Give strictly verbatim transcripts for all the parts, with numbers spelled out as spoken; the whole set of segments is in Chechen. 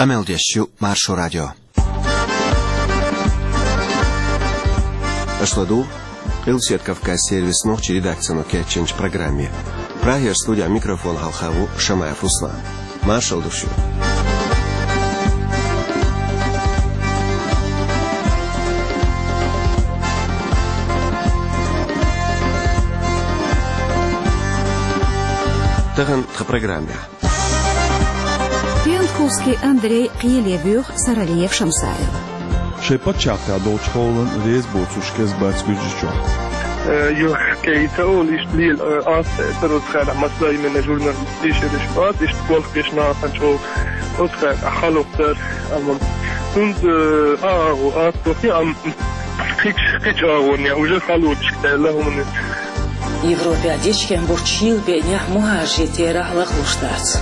Къамел деш ю Маршо радио. Аша ладугӀу Къилбаседа Кавказан сервисан нохчийн редакцино кечйинчу программе. Прагера студин микрофона хьалха ву Шамаев Руслан. Маршалла ду шуьга. Тахана тхан программехь. Пиятковский Андрей кхеле воьху Саралиев Шамсаил. Шайн пачхьалкхехь долчу хьолан реза боцурш кӀезиг бац Гуьржийчохь. Э, юха кхин ца олу иштта лела, э, ас, э, цара оцу хенахь массо а именно журналисташ, ас иштта болх беш нахана чӀогӀа оцу хенахь хьалха дара, амма хӀунда, э, а, агӀо ас боху, амма кхечу, кхечу агӀонехь уже хьалочуш даьлла хӀума. Европехь дечкен болчу шийла беънехь мухӀажарийн терахь лахлуш дац.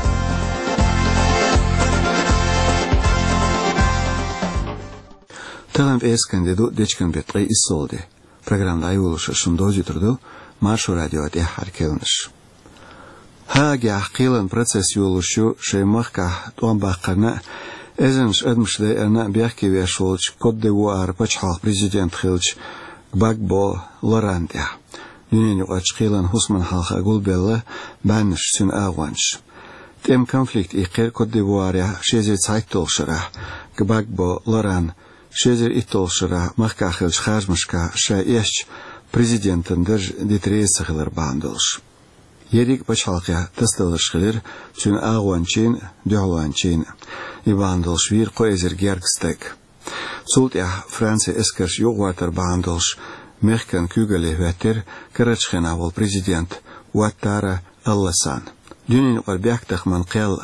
Тахана пӀераскан де ду, дечкен беттан ткъе иссалгӀа де. Программа дӀайолош шуна довзуьйтур ду Маршо радион тӀаьххьара керланаш. Гаагехь кхелан процесс йолуш ю шайн махкахь тӀом баккхарна а, эзарнаш адамаш дайарна а бехке веш волчу Кот-д'Ивуаран пачхьалкхан президент хиллачу Гбагбо Лорана тӀехь. Дуьненаюкъарчу кхелан хӀусамна хьалха гулбелла баьннаш, цуьнан агӀончаш. ТӀеман конфликт иккхира Кот-д'Ивуарехь ши эзар цхьайтталгӀачу шарахь, Гбагбо Лорана ши эзар итталгӀачу шарахь махкахь хиллачу харжамашкахь ша эшначу президентан дарж дита реза ца хилар бахьана долуш. Ерриг а пачхьалкхехь тасадаларш хилира цуьнан агӀончийн а, дуьхьалончийн а. И бахьана долуш вийра кхо эзар гергга стаг. Цул тӀаьхьа Францин эскарш юкъагӀоттар бахьана долуш мехкан куьйгалле хӀоьттира карарчу хенахь волу президент Уаттара Аль-Ласан. Дуьненаюкъара бехктакхаман кхел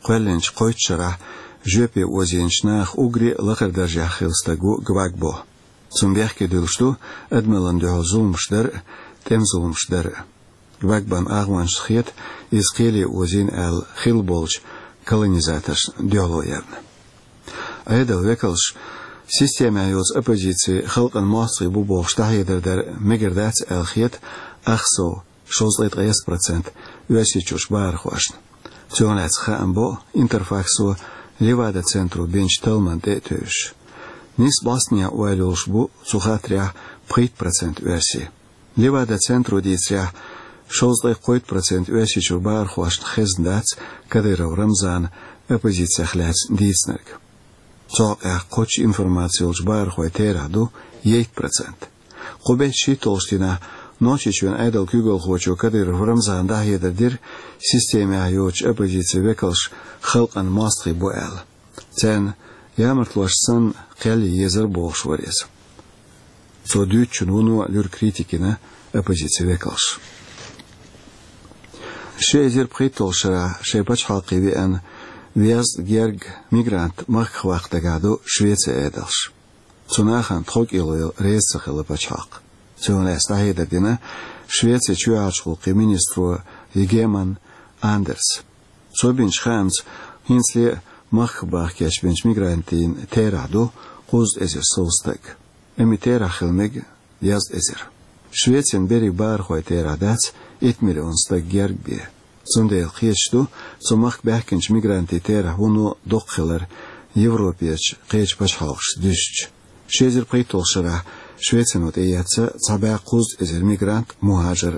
кхоьллинчу кхойтта шарахь жоьпе озийначу нахах уггаре а лакхара даржехь хилла стаг ву Гбагбо. Цунна бехке дуьллуш ду адамаллина дуьхьал зуламаш дар а, тӀеман зуламаш дар а. Гбагбон агӀончашна хета, иза кхеле озийна аьлла хилла болчу колонизаторшна дуьхьало ярна. Ӏедалан векалш системехь йоцу оппозици халкъан мостагӀий бу бохуш дӀахьедар дар мегар дац аьлла хета ах сов, шовзткъе ткъайесна процент, Оьрсийчуьрчу бахархошна. Цунах лаьцна хаам бо Интерфаксо Левада-центро бинчу талламна тӀе а тевжаш. Нийсса бӀостанехьа ойла йолуш бу цу хаттарехь пхийтта процент оьрсий. Левада-центро дийцарехь, шовзткъе кхойтта процент Оьрсийчуьра бахархошна хезна дац Кадыров Рамзанан оппозицех лаьцна дийцинарг. Цу хьокъехь кхоччуш информаци йолчу бахархойн терахь ду ейтта процент. Кху беттан шийтталгӀачу дийнахь Нохчийчоьнан Ӏедалан куьйгалхочо Кадыров Рамзана дӀахьедар дира, системехь йоцучу оппозицин векалш халкъан мостагӀий бу аьлла. Царна ямартлошца санна кхел ян езар бохуш вара иза. Цо дуьйцучунна вуно луьра критика йина оппозицин векалш. Ши эзар пхийтталгӀачу шарахь шайн пачхьалкхе веана везткъа гергга мигрант махках ваккха дагахь ду Швецин Ӏедалш. Цу нахана тховкӀело яла реза ца хилла пачхьалкх. Цунах лаьцна дӀахьедар дина Швецин чоьхьарчу гӀуллакхийн министро Йигеман Андерса. Цо бинчу хаамца, хӀинцале а махках баха кечбинчу мигрантийн терахь ду кхузткъа эзар сов стаг. Амма и терахь хила мега дезткъа эзар. Швецин берриг бахархойн терахь дац итт миллион стаг герга бен. Цундела кхеташ ду цу махка баьхкинчу мигрантийн терахь вуно доккха хилар Европерчу кхечу пачхьалкхашца дуьстича. Ши эзар пхийтталгӀачу шарахь Швецино тӀеэцна цхьа бӀе кхузткъа эзар мигрант, мухӀажар.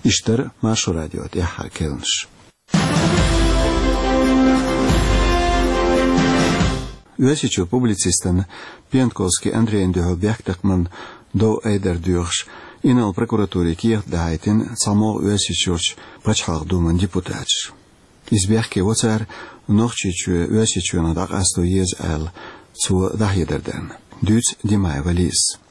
Иштта дара Маршо радион тӀаьххьара керланаш. Оьрсийчуьра публицистана Пиятковский Андрейна дуьхьал бехктакхаман дов айдар доьхуш, инарла прокуратуре кехат дахьийтина цхьамогӀа Оьрсийчуьрчу Пачхьалкхан Думан депутаташа. Иза бехке во цара Нохчийчоь Оьрсийчоьнах дӀакъасто еза аьлла, цо дӀахьедар дарна. Дуьйцу Димаева Лизас.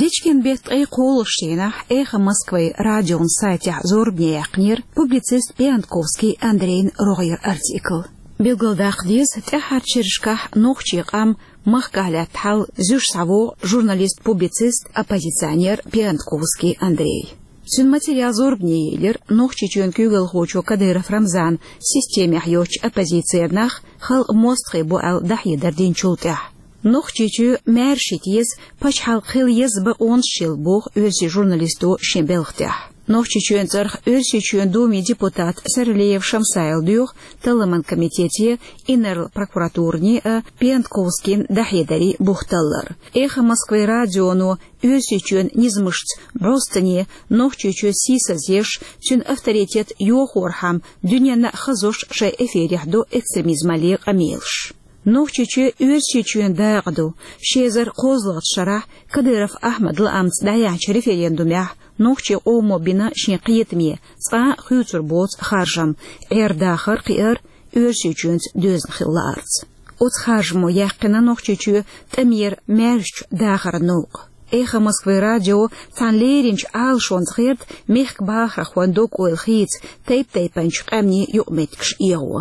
Дечкен беттан ткъе кхоалгӀачу дийнахь «Эхо Москвы» радион сайтехь зорбане яьккхинера публицист Пиятковский Андрейн рогӀера артикл. Билгалдаккха деза, тӀаьххьарчу шерашкахь нохчийн къам махкахь лаьтта хьал зуьйш схьавогӀу журналист-публицист, оппозиционер Пиятковский Андрей. Цуьнан материал зорбане елира Нохчийчоьнан куьйгалхочо Кадыров Рамзана системехь йоцчу оппозицин нах халкъан мостагӀий бу аьлла дӀахьедар динчул тӀаьхьа. Нохчийчоь маьрша хила еза, пачхьалкх хила еза бакъонаш йолу боху оьрсийн журналисто шен белхан тӀехь. Нохчийчоьнан цӀарах Оьрсийчоьнан Думин депутата Саралиев Шамсайла доьху Талламан комитете, инарла прокуратуране а Пиантковскийна дӀахьедарийн бух таллар. «Эхо Москвы» радионо Оьрсийчоьнан низамашца бӀостанехьа Нохчийчоь сийсазъеш, цуьнан авторитет йохорхьама дуьненна а хазош шайн эфирехь до экстремизмалле къамелаш. Нохчийчоь Оьрсийчоьнан дакъа ду. Ши эзар кхозлагӀчу шарахь Кадыров Ахьмадан лаамца дӀаяьхьначу референдумехь нохчийн къомо бина шен кхетаме, цкъа а хуьйцур боцу харжам, Ӏер-дахар кхиар Оьрсийчоьнца доьзна хила лаарца. Оцу харжамо яьккхина Нохчийчоь тӀамера маьршачу дахаран новкъа. «Эхо Москвы» радио цхьана леринчу Ӏалашонца гӀерта мехкан бахархойн дог-ойла хийца тайп-тайпанчу къаьмнийн юкъаметтигаш эгӀо.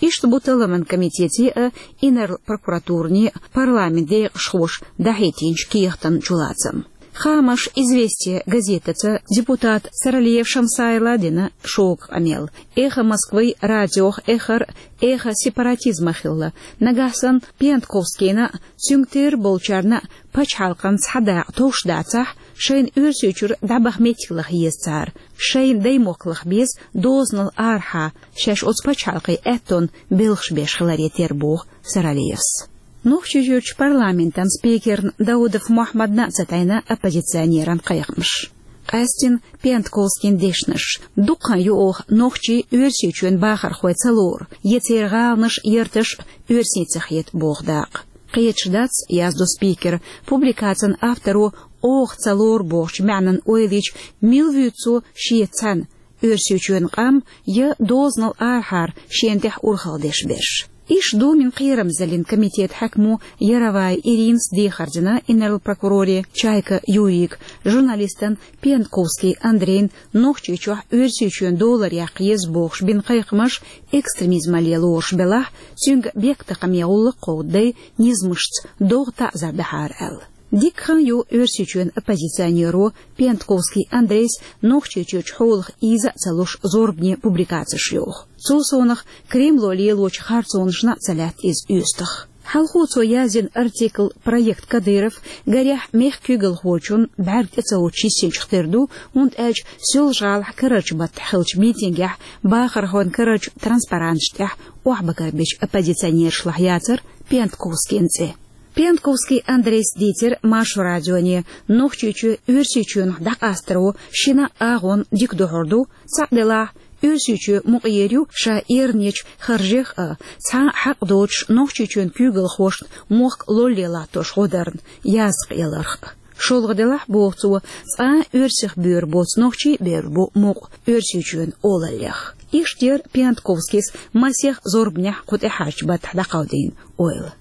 Иштта бу Талламан комитете а, инарла прокуратуране а парламентан декъашхоша дӀахӀиттинчу кехатан чулацам. Хаамаш «Известия» газетаца депутата Саралиев Шамсайла дина шога къамел. «Эхо Москвы» радиох эххар эхо сепаратизма хилла. Нагахь санна Пиантковскийна а, цуьнга тера болчарна а пачхьалкхана цхьа дакъа товш дацахь, шайна Оьрсийчуьра дӀабаха меттиг лаха еза цара. Шайна даймохк лаха беза дозанал арахьа, шаьш оцу пачхьалкхийн аьттонна белхаш беш хиларе терра, боху Саралиевс. Нохчийчуьрчу парламентан спикерна Даудов Мохьмадна а ца тайна оппозиционеран кхайкхамаш. Къаьстина Пиантковскийн дешнаш. Дукха хан ю оха нохчий Оьрсийчоьнан бахархой ца лору, я церан гӀаланаш, ярташ оьрсийн ца хета боху дакъа. Кхеташ дац, яздо спикера, публикацин авторо оха ца лору бохучу маьӀнан ойла йича, мила вуьйцу цо шен цхьаьна Оьрсийчоьнан къам я дозанал арахьара шена тӀехь урхалла деш берш. Иштта Думин кхерамзаллин комитетан хьаькамо Яровая Иринас дехар дина инарла прокуроре Чайка Юрийга, журналистана Пиантковский Андрейна Нохчийчохь Оьрсийчоьнан долар яккха еза бохуш бина кхайкхамаш экстремизмалле лоруш белахь, цуьнга бехктакхаман гӀуллакх кховдадай низамашца догӀа таӀзар дахьара аьлла. Дикка хан ю Оьрсийчоьнан оппозиционеро Пиантковский Андрейс Нохчийчуьрчу хьолах ийза а ца луш зорбане публикацеш йоху. Цул совнаха Кремло лелочу харцонашна а ца лаьтта иза оьстах. Хьалхо цо яздина артикл проект Кадыров, гарехь, мехкан куьйгалхочун бӀаьрг тӀе ца воцуш йисинчух тера ду, хӀунда аьлча Соьлжа-ГӀалахь карарчу баттахь хиллачу митингехь бахархойн карарчу транспаранташна тӀехь охьабагарбечу оппозиционерашлахь яцара Пиантковскийн цӀе. Пиантковский Андрейс дийцира Маршо радионе, Нохчийчоь Оьрсийчоьнах дӀакъастаро шина а агӀонна дика духьур ду, цхьаъ делахь, Оьрсийчоь мукъаер ю ша эрнечу харжех а, цхьа а хьакъ доцуш Нохчийчоьнан куьйгалхошна мохк лолле латтош гӀо дарна, язда кхиаларх а. ШолгӀа делахь, боху цо, цкъа а оьрсех боьра боцу нохчий а боьра бу мукъа Оьрсийчоьнан олаллех. Иштта яра Пиантковскийс масех зорбанехь кху тӀаьхьарчу баттахь дӀакховдийна ойла.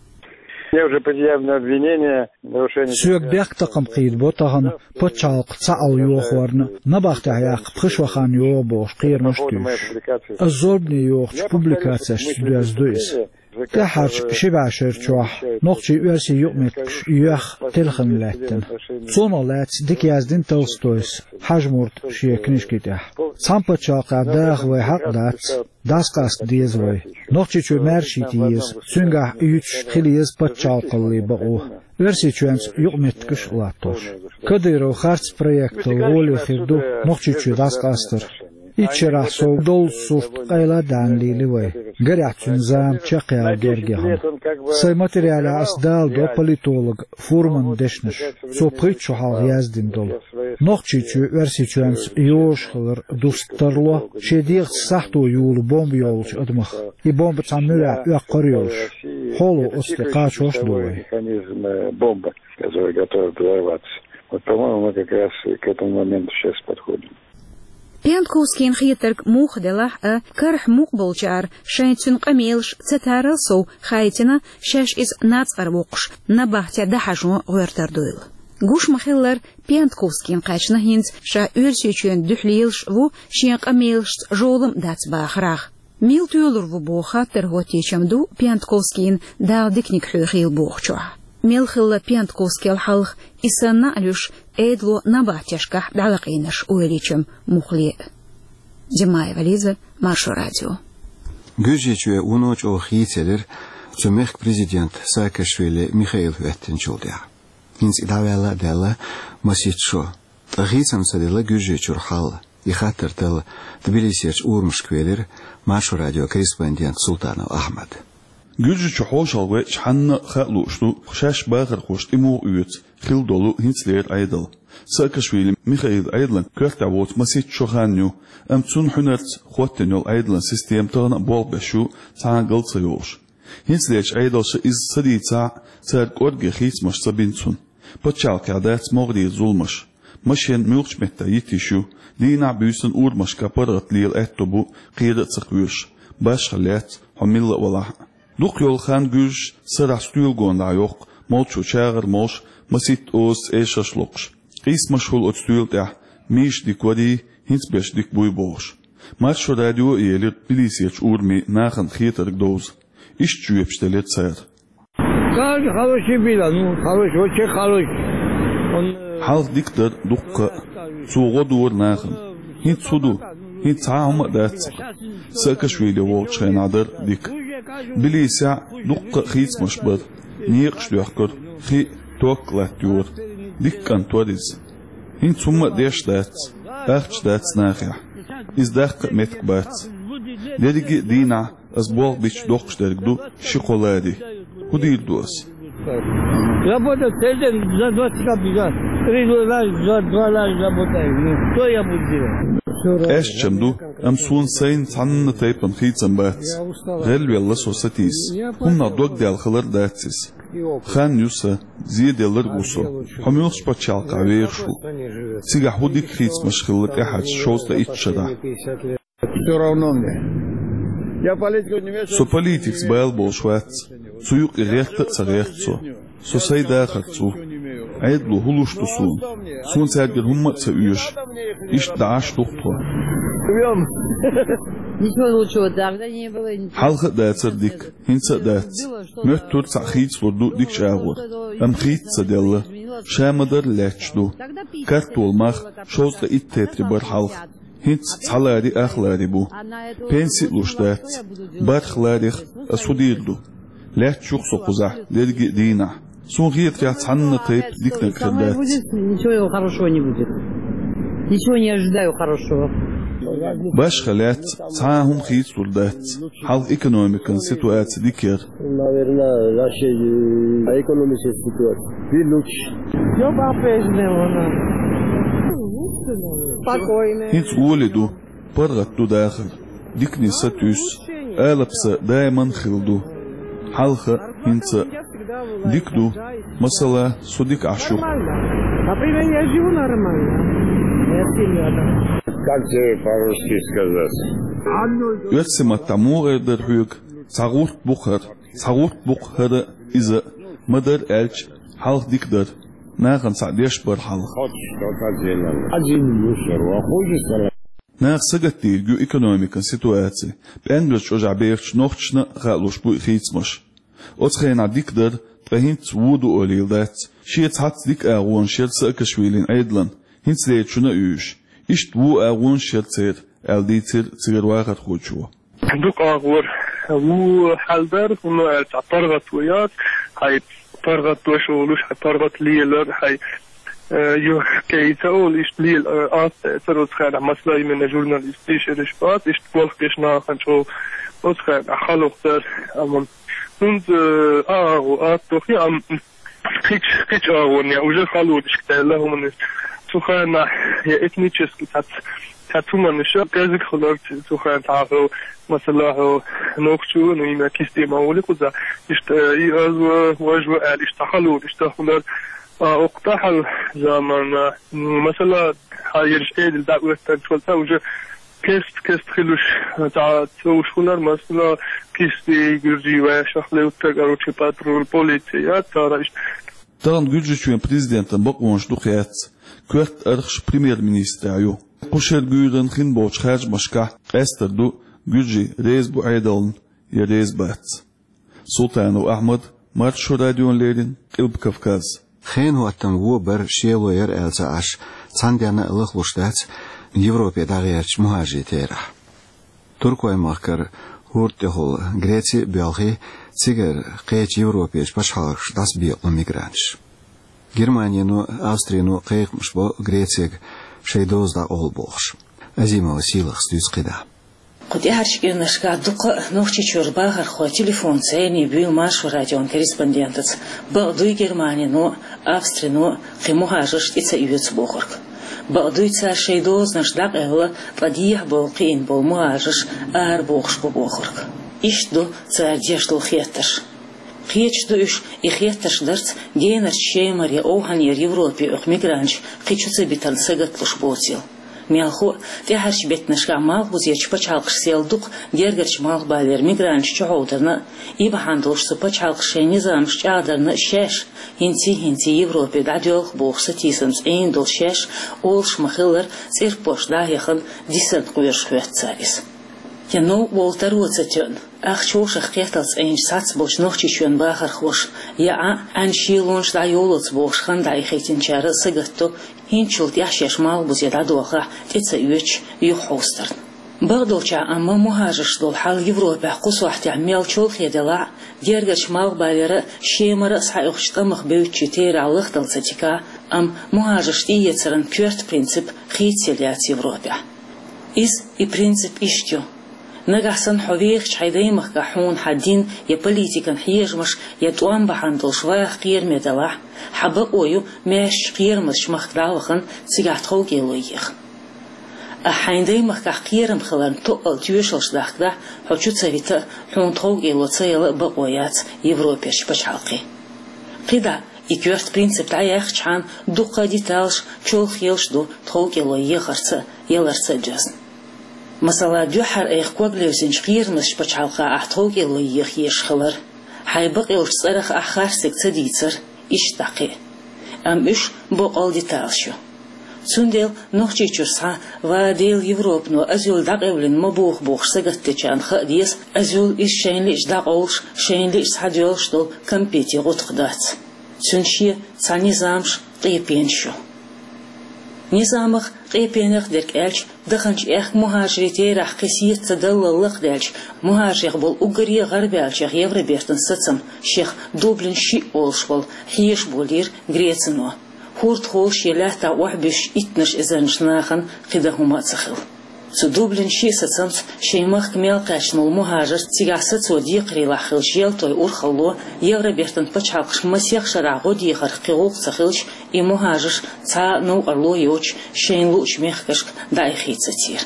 Мне уже предъявлено обвинение в нарушении... Соьга бехктакхам кхийдабо тахана пачхьалкх цхьаалла йохорна, набахтехь яккха пхи шо хан йогӀу бохуш кхерамаш а туьйсуш. Ас зорбане йохучу публикацешца доьзна ду иза. ТӀаьххьарчу ши бӀешерчохь нохчий-оьрсий юкъаметтигаш йоьхна телхина лаьттина. Цунах лаьцна дика яздина Толстойс Хьажмурта шен книжки тӀехь. Цхьана пачхьалкхехь даха вайн хьакъ дац, дӀасакъаста деза вай. Нохчийчоь маьрша йита еза, цуьнгахь юьтуш хила еза пачхьалкхаллин бакъо. Оьрсийчоьнца юкъаметтигаш а латтош. Кадыров харц проектал гӀоле хир ду Нохчийчоь дӀасакъастар. Итт шарахь сов доллучу сурт къайла а даьхна лийли вай. Гарехь, цуьнан зама чекхъяла герга яхана. Сайн материалехь ас даладо политолог Фурманан дешнаш, цо пхийтта шо хьалха яздина долу. Нохчийчоь Оьрсийчоьнца йожа хилар дуста тарло шен дегӀаца сахьто йолу бомба йолчу адамах. И бомба цхьана муьрехь оьккхур а йолуш, хьоло оцу тӀе кхачош а ду вай. Механизм, э, бомбы, который готов взорваться. Вот, по-моему, мы как раз к этому моменту сейчас подходим. Пиантковскийна хетарг муха делахь а, карахь мукъа болчара шайн цуьнан къамелаш ца тарал сов хаийтина, шаьш иза нацкъара воккхуш, набахте дӀахьажо гӀоьртар дуйла. Гуш ма-хиллара, Пиантковскийна кхаьчна хӀинца ша Оьрсийчоьнан дуьхьа лелаш а ву, шен къамелашца жолам а дац бахарах. Мила тоьлур ву боху хаттар хӀоттийчам ду Пиантковскийна Дала диканиг хьоьхийла бохучохь. Мел хилла Пиантковскийла хьалха, и санна а луьйш, Ӏедало набахтешкахь дӀалакъийнарш ойла йичам муххале а. Димаева Лиза, Маршо радио. Гуьржийчоь вуно чӀогӀа хийцаелира цу мехкан президент Саакашвили Михаил хӀоьттинчул тӀаьхьа. ХӀинца и дӀаваьлла а даьлла масийтта шо. Ткъа хийцам ца делла Гуьржийчуьра хьал. И хаттар талла Тбилисерчу урамашка велира Маршо радион корреспондент Султанов Ахьмад. Гуьржийчу хьошалгӀа веача хьанна а хаалуш ду, шаьш бахархоша тӀемуха оьцу хилла долу хӀинцалера Ӏедал. Саакашвили Михаилан Ӏедалан коьртехь воцу масийтта шо хан ю, амма цунна хьуьнарца хӀоттийна йолу Ӏедалан система тахана а болх беш ю цхьа а гал ца йолуш. ХӀинцалерчу Ӏедалша иза ца дийцахь а, цара кӀорге хийцамаш ца бина цунна. Пачхьалкхехь дац могӀарера зуламаш. Машен муьлххачу метта йита йиш ю, дийнахь а буьйсанна а урамашкахь паргӀат лела аьтто бу, кхера а ца кхоьруш. Башха лаьцна, хьо милла а валахь а. Дукха йолу хан гуьржаша сарахь стоьла гонах йоккху, молчо чагӀар молуш, масийтта озаца эшарш локхуш. Къийсамаш хуьлу оцу стоьла тӀехь, миша дика варий, хӀинца берш дика буй бохуш. Маршо радио а елира Тбилисерчу урамийн нахана хетарг довза. Иштта жоьпаш делира цара. Как хороший был, ну, хороший, очень хороший. Он, э, Хьалха дика дара дуккха а. Цо гӀо дора нахана. ХӀинца хӀун ду? ХӀинца цхьа а хӀума а дац. Саакашвили волчу хенахь дара дика. Тбилисехь дуккха а хийцамаш бара. Некъаш доьхкура, хи а, ток а латтайора. Дика кӀант вара иза. ХӀинца хӀумма а деш дац, ахча дац нахехь. Иза даккха а меттиг бац. Дерриге а дийнахь ас болх бича доккхуш дерг ду ши-кхо лари. ХӀун дийр ду ас? Работать целый день за двадцать копеек. Три раза, два, два раза работаю. Ну, что я буду делать? Къаьстачам ду, амма суна сайна цхьанна тайпана хийцам бац. ГӀелвелла со сатийса. ХӀуманах дог даьлла хилар дац иза. Хан ю сан, зеделларг ву со. Хьо муьлххачу пачхьалкхехь вехаш ву? Цигахь хӀун дика хийцамаш хилла тӀаьхьарчу шовзткъе итт шарахь? Всё равно мне. Я политику не вмешиваюсь. Со политикаца бала болуш вац. Цу юкъе гӀерта а ца гӀерта со. Со сайн дахарца ву. Ӏедало хӀун луш ду суна? Суна цаьргара хӀумма а ца оьшу. Иштта дӀа Ӏаш ду-кх тхо. Живём. Ничего лучшего тогда не было, ничего. Хьалха а дацара дика, хӀинца а дац. Моьттура цхьаъ хийцалур ду дикачу агӀор. Амма хийца ца делла. Ша ма-дарра лаьтташ ду. Картол мах шовзткъе итт тетри бара хьалха. ХӀинца цхьа лари ах лари бу. Пенси а луш дац. БархӀ ларех ас хӀун дийр ду? Лаьтташ ю-кх со кхузахь дерриге а дийнахь. Суна хетарехь, цхьанна тайпа диканиг хир дац. Ничего хорошего не будет. Ничего не ожидаю хорошего. Башха лаьцна цхьа а хӀума хийцалур дац. Хьалха экономикан ситуаци дика яра. Наверное, нашей, э, экономической ситуации. Вид лучше. Всё по-прежнему у нас. Спокойно. ХӀинца гӀоли ду, паргӀат ду дахар. Дикане сатуьйсу, алапа са даиман хилла ду. Хьалха, хӀинца. Дика ду. Масала, со дика Ӏаш ю. Нормально. Например, я живу нормально. Моя семья, да. Как тебе по-русски сказать? Оьрсийн маттахь муха эр дара хьоьга? Цхьа гӀурт бу-кх хӀара, цхьа гӀурт бу-кх хӀара, иза, ма-дарра аьлча, хьалха дика дара. Нахана цхьаъ деш бара хьалха. Хоть что-то делали. Один мусор, а хуже стало. Наха сагатдийриг ю экономикан ситуаци. ПӀенгазчу ожахь бехачу нохчашна а хаалуш бу и хийцамаш. Оцу хенахь дика дара, ткъа хӀинца вон ду олийла дац. Шен цхьацца дика агӀонаш яра Саакашвилин Ӏедалан, хӀинцалерчунна а оьшуш. Иштта вон агӀонаш яра церан, аьлла дийцира цигара вахархочо. Дукха агӀор вон хьал дара, хӀунда аьлча паргӀат ву яц, хьайн паргӀат дош а волуш, хьайн паргӀат лелар, хьайн, э, юьхь кӀайн ца олу, иштта лела, э, атта эцар оцу хенахь, масала, именно журналисташ, шераш бац, иштта болх беш нахана чӀогӀа оцу хенахь хьалха дара, амма хӀунда, э, агӀо атта доху, амма кхич, кхич агӀонехь уже халонаш кхаьлла хӀуманаш. Цу хенахь я этнически цхьацца, цхьацца хӀуманаш кӀезиг хилар цу хенахь хьо, масала, хьо нохчо, ну, именно кисте ма волу кхуза, иштта, э, и аз ва, вож ва аьлла, иштта халонаш ца хилар, а, окху тӀаьхьал заманна, м, масала, хьан ерш Ӏедал дӀа оьттанчул тӀаьхьа уже кест-кест хилуш, цхьа цӀуш хилар, масала, кисти, гуьржий вешах левттар, короче, патруль, полици, я, цара иштта. Тахана Гуьржийчоьнан президентан бакъонаш дукха яц, коьрта архаш премьер-министрехь ю. Кху шеран гуьйранна хин болчу харжамашкахь къаьстар ду, гуьржий реза бу Ӏедална я реза бац. Султанов Ахьмад, Маршо радиона леррина, Къилба Кавказ. Хенан хӀоттам вон бара, шело яра аьлла ца Ӏаш, цхьана денна а лахлуш дац Европе дӀагӀертачу мухӀажирийн терахь. Туркойн махкара хӀорда тӀехула Греци а боьлхий, цигара кхечу Европерчу пачхьалкхашка дӀасабекъало мигранташ. Германино, Австрино кхайкхамаш бо Грецега шайн доза дӀакъовла бохуш. Азимова Сийлахас дуьйцу кхидӀа. Кху тӀаьхьарчу кӀирнашкахь дуккха а Нохчийчуьра бахархой телефон цӀерний буьйлу Маршо радион корреспондентаца. Бакъ дуй Германино, Австрино кхин мухӀажарш тӀе ца оьцу бохург. Бакъ дуй цара шайн дозанаш дӀакъевлла, ткъа дехьа бовла кхиъна болу мухӀажарш арабохуш бу бохург. Иштта ду цара деш долу хеттарш. Кхеташ ду уьш, и хеттарш дарца генарчу Шемара я Овхьанера Европе оьху мигранташ кхин чу ца битарна сагатлуш боцийла. Мелхо а, тӀаьхьарчу беттанашкахь Малхбузерчу пачхьалкхашца дукха гергарчу Малхбалера мигранташ чухьовдарна а, и бахьана долуш цу пачхьалкхаша шайн низамаш чӀагӀдарна а шаьш, хӀинций-хӀинций Европе дӀадоьлху бохуш сатийсамца Ӏийна долу шаьш, олуш ма-хиллара, цӀерпошка дӀа а яхана, дисанна кхоьруш хӀоьтту цара иза. Я новкъа волу таро ца тоьъна, ахча хӀошах кхетталц Ӏийначу цхьацца болчу Нохчийчоьнан бахархоша, я Ӏа, Ӏаьнан шелонаш дӀайолалц бохуш хан дӀаихийтинчара а сагатдо, хӀинцачул тӀаьхьа шаьш Малхбузе дӀадохахь, тӀе ца оьцуш, юхахьовсарна. Бакъдолчохь амма мухӀажарш долу хьал Европехь кху сохьтехь мел чолхе делахь а, гергарчу Малхбалера а, Шемара а схьаоьхучу тӀамах бевддачийн терахь лахдала ца дикахь а, амма мухӀажарш тӀеэцаран коьрта принцип хийцаелла яц Европехь. Иза, и принцип иштта ю: нагахь санна хьо вехачу хьайн даймахкахь хьуна хьан дин я политикан хьежамаш я тӀом бахьана долуш ваха кхераме далахь, хьан бакъо ю маьршачу кхерамазчу махка дӀа а вахана, цигахь тховкӀело еха. Ахь хьайн даймахкахь кхерам хиларна тоъал тоьшаллаш дахкадахь, хьо чу ца вита а, хьуна тховкӀело ца яла а бакъо яц Европерчу пачхьалкхийн. КхидӀа, и коьрта принцип дӀаяьккхичхьана, дуккха а деталаш, чолхе йолуш ду тховкӀело ехарца а, яларца а доьзна. Масала, дуьххьара айхьа ког левзинчу кхерамазчу пачхьалкхахь ахь тховкӀело еха езаш хилар, хьайн бакъйолчу цӀарах ахь харцдерг ца дийцар, иштта дӀа кхин а. Амма уьш боккъал деталаш ю. Цундела Нохчийчуьра схьа, ва Дела, Европано азуьл дӀакъевлина ма боху бохуш сагатдечарна хаа деза, азуьл иза шайна лиъча дӀакъовлуш, шайна лиъча схьадоьллуш долу кампетийн гӀутакх дац. Цуьнан шен цхьа низамаш, къепенаш ю. Низамах, къепенех дерг аьлча, даханчу аьхка мухӀажарийн терахь кхин сецадаллал лакхадаьлча, мухӀажарех болу уггаре а гӀарабаьллачех Евробертан сацам, шех Дублин шиъ олуш болу, хьежаш болийра Грецино. ХӀордахула шен лаьттахь охьабуьссуш иттанаш эзарнаш нахана кхин дан хӀума а ца хилла. Цу Дублин шиъ сацамца шайн махка мел кхаьчна волу мухӀажарш, цигахь сацо декхарийлахь хиллачу Желтойн урхалло, Евробертан пачхьалкхаш масех шарахь гӀо дехарх кхин гӀуллакх ца хилча, и мухӀажарш цхьа а новкъарло йоцуш шайна луучу мехкашка дӀаихийцацийра.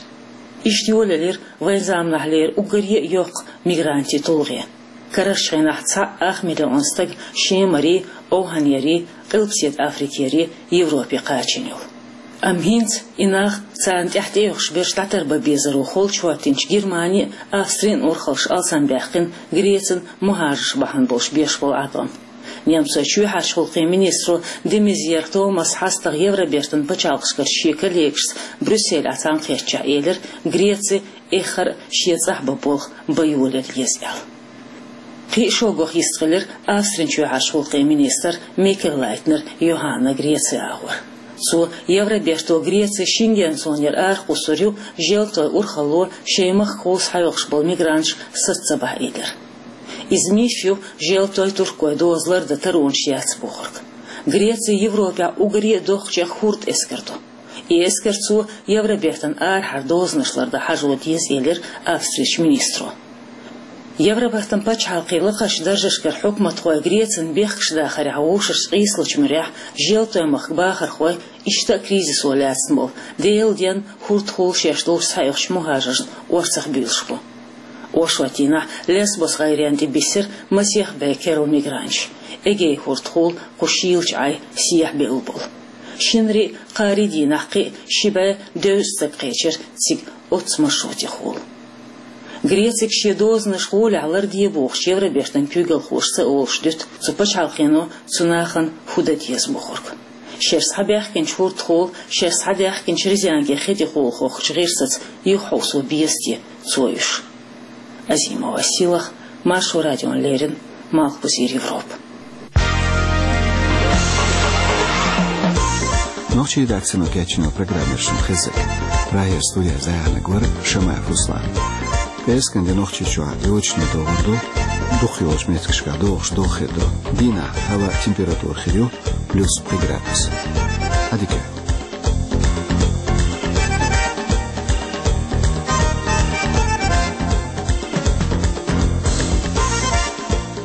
Иштта йолаелира вайн заманахьлера уггаре а йоккха мигрантийн тулгӀе. Карарчу хенахь цхьаъ ах миллион стаг Шемарий, Овхьанерий, Къилбаседа Африкерий Европе кхачийна йолу. Амма хӀинца и нах, царна тӀаьхьа тӀеоьхуш берш дӀатарбан безаро холчу хӀоттийначу Германин а, Австрин а урхаллаш алсамбаьккхина Грецин мухӀажарш бахьана болуш беш болу Ӏадам. Немцойн чоьхьарчу гӀуллакхийн министро де Мезьер Томаса хьастагӀа Евробертан пачхьалкхашкарчу шен коллегашца Брюсселехь цхьаьнакхеттачохь элира, Греци эххар а шен цӀахь бан болх бан йолаелла еза аьлла. Кхин а шоггах йистхилира Австрин чоьхьарчу гӀуллакхийн министр Микель Лайтнер Йоханна Греци агӀор. Цо Евроберто Греци Шенген зонера арахкхуссур ю, Желтойн урхалло шайн махкахула схьайоккхуш болу мигранташ саца ца бахьа элира. Иза миф ю, Желтойн, туркойн доза лардан таронаш яц бохург. Греци Европехь уггаре а доккхачех хӀорд эскар ду. И эскарца Евробертан арахьара дозанаш лардан хьажо деза, элира Австрерчу министро. Евробертан пачхьалкхийн лакхарчу даржашкара хьукматхой Грецин бехкаш дахарехь вовшашца къийсалучу муьрехь, Желтойн махка бахархой иштта а кризисо лаьцна болу, Делан денна хӀордахула шаьш долуш схьаоьхучу мухӀажаршна орцахбуьйлуш бу. Оршотдийнахь Лесбос гӀайренна тӀе биссира масех бӀе керла мигранташ, Эгейн хӀордахула кху шийлачу Ӏай сехьабевлла болу. Шинарий а, кхаарин дийнахь кхин а ши бӀе дезткъа стаг кхечира цига оццу маршрутехула. Грецига шен дозанаш гӀолехь ларде бохучу Евробертан куьйгалхоша ца олуш дуьту цу пачхьалкхено цу нахана хӀун дан деза бохург. Шаьш схьабаьхкинчу хӀордахула, шаьш схьадаьхкинчу резенгийн хи тӀехула хохкучу гӀирсаца юхахьовсо беза те цо уьш? Азимова Сийлаха, Маршо радиона леррина, Малхбузера Европа. Нохчийн редакцино кечйина программа шуна хезира. Прагера студехь зӀе хьанаг вара Шамаев Руслан. ПӀераскан де Нохчийчохь йочане догӀур ду, дукхах йолчу меттигашкахь догӀуш догӀа хир ду. Дийнахь хӀаваан температура хир ю плюс пхи градус. Ӏадика.